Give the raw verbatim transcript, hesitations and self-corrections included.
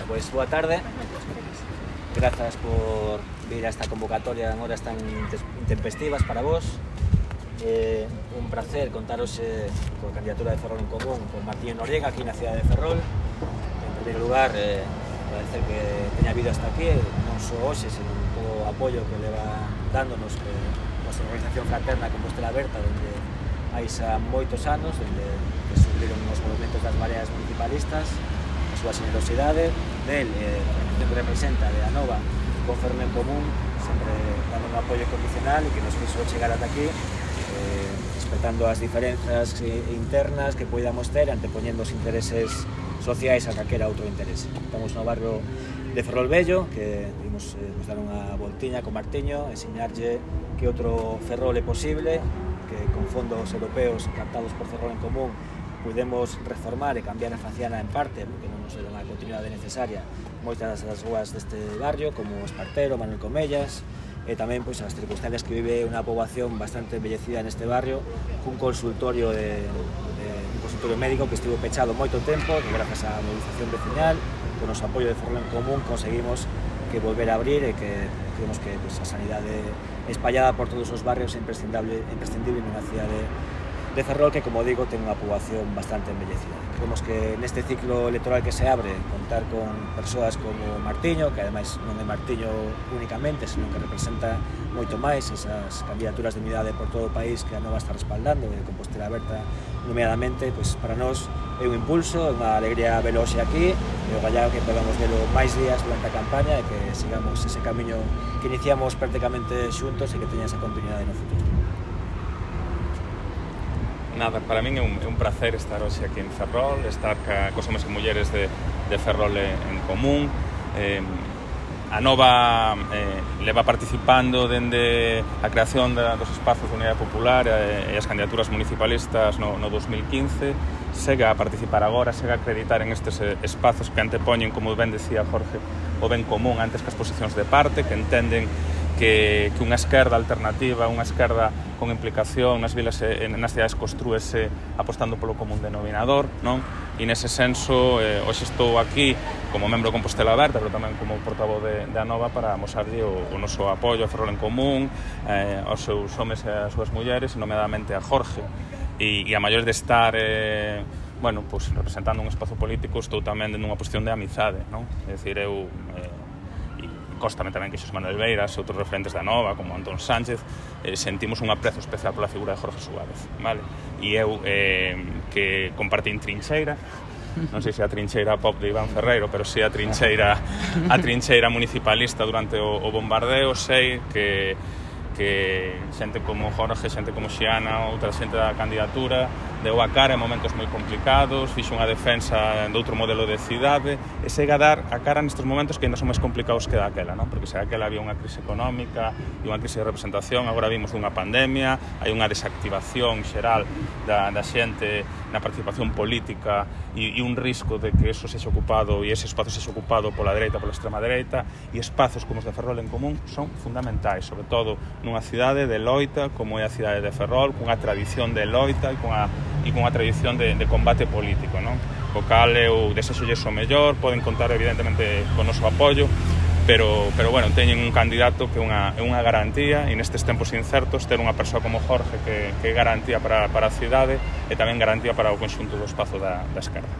Pois boa tarde. Grazas por vir a esta convocatoria en horas tan intempestivas para vos. Eh, un placer contaros eh, coa candidatura de Ferrol en Común con Martiño Noriega aquí na cidade de Ferrol. En primeiro lugar, eh, agradecer que teña habido hasta aquí, non só hoxe, sino todo o apoio que leva dándonos que nosa organización fraterna Compostela Aberta, onde hai xa moitos anos, onde que sufriron os movimentos das mareas municipalistas, a súa generosidade, del, eh, a organización que representa de Anova con Ferrol en Común, sempre dando un apoio condicional e que nos fixo chegar ata aquí, eh, respetando as diferenzas internas que podamos ter, antepoñendo os intereses sociais a calquera outro interese. Estamos no barrio de Ferrol Vello, que vimos eh, nos dar unha voltiña con Martiño, enseñarlle que outro Ferrol é posible, que con fondos europeos captados por Ferrol en Común podemos reformar e cambiar a faciana en parte, porque non nos era unha continuidade necesaria, moitas das rúas deste barrio, como Espartero, Manuel Comellas, e tamén pois, as circunstancias que vive unha poboación bastante embellecida neste barrio, cun consultorio de, de un consultorio médico que estivo pechado moito tempo, que grazas á movilización vecinal, con os apoio de Ferrol en Común, conseguimos que volver a abrir e que creemos que pois, a sanidade espallada por todos os barrios é imprescindible, imprescindible nunha cidade de Ferrol que, como digo, ten unha poboación bastante embellecida. Creemos que neste ciclo electoral que se abre, contar con persoas como Martiño, que ademais non é Martiño únicamente, senón que representa moito máis esas candidaturas de unidade por todo o país que a Nova está respaldando, e Compostela Aberta nomeadamente, pois para nós é un impulso, é unha alegría velo hoxe aquí, e o gallado que podamos velo máis días durante a campaña e que sigamos ese camiño que iniciamos prácticamente xuntos e que teña esa continuidade no futuro. Nada, para min é un, é un placer estar hoxe aquí en Ferrol, estar ca, cos homes e mulleres de, de Ferrol en Común. Eh, a Nova eh, leva participando dende a creación da, dos espazos de Unidade Popular e, e as candidaturas municipalistas no, no dos mil quince. Sega a participar agora, sega a acreditar en estes espazos que antepoñen, como ben decía Jorge, o ben común antes que as posicións de parte, que entenden que, que unha esquerda alternativa, unha esquerda con implicación nas vilas e nas cidades construese apostando polo común denominador, non? E nese senso, eh, hoxe estou aquí como membro de Compostela Aberta, pero tamén como portavoz de, de Anova para amosarlle o, o noso apoio a Ferrol en Común, eh, aos seus homes e as súas mulleres, e nomeadamente a Jorge. E, e a maior de estar eh, bueno, pues, representando un espazo político, estou tamén nunha posición de amizade, non? É dicir, eu eh, Cóstame tamén que Xosé Manuel Beiras e outros referentes da Nova, como Antón Sánchez, eh, sentimos un aprezo especial pola figura de Jorge Suárez, vale? E eu, eh, que compartín trincheira, non sei se a trincheira pop de Iván Ferreiro, pero si a trincheira, a trincheira municipalista durante o, o bombardeo, sei que que xente como Jorge, xente como Xiana, outra xente da candidatura, deu a cara en momentos moi complicados, fixo unha defensa de outro modelo de cidade, e sega a dar a cara nestes momentos que ainda son máis complicados que daquela, non? Porque se daquela había unha crise económica e unha crise de representación, agora vimos dunha pandemia, hai unha desactivación xeral da, da xente na participación política e, e un risco de que eso sexa ocupado e ese espazo sexa ocupado pola dereita, pola extrema dereita, e espazos como os de Ferrol en Común son fundamentais, sobre todo nunha cidade de loita como é a cidade de Ferrol, cunha tradición de loita e cunha, e cunha tradición de, de combate político, non? O cal eu desexolles o mellor, poden contar evidentemente con o noso apoio, pero, pero bueno, teñen un candidato que é unha, é unha garantía, e nestes tempos incertos ter unha persoa como Jorge que, que é garantía para, para a cidade e tamén garantía para o conxunto do espazo da, da esquerda.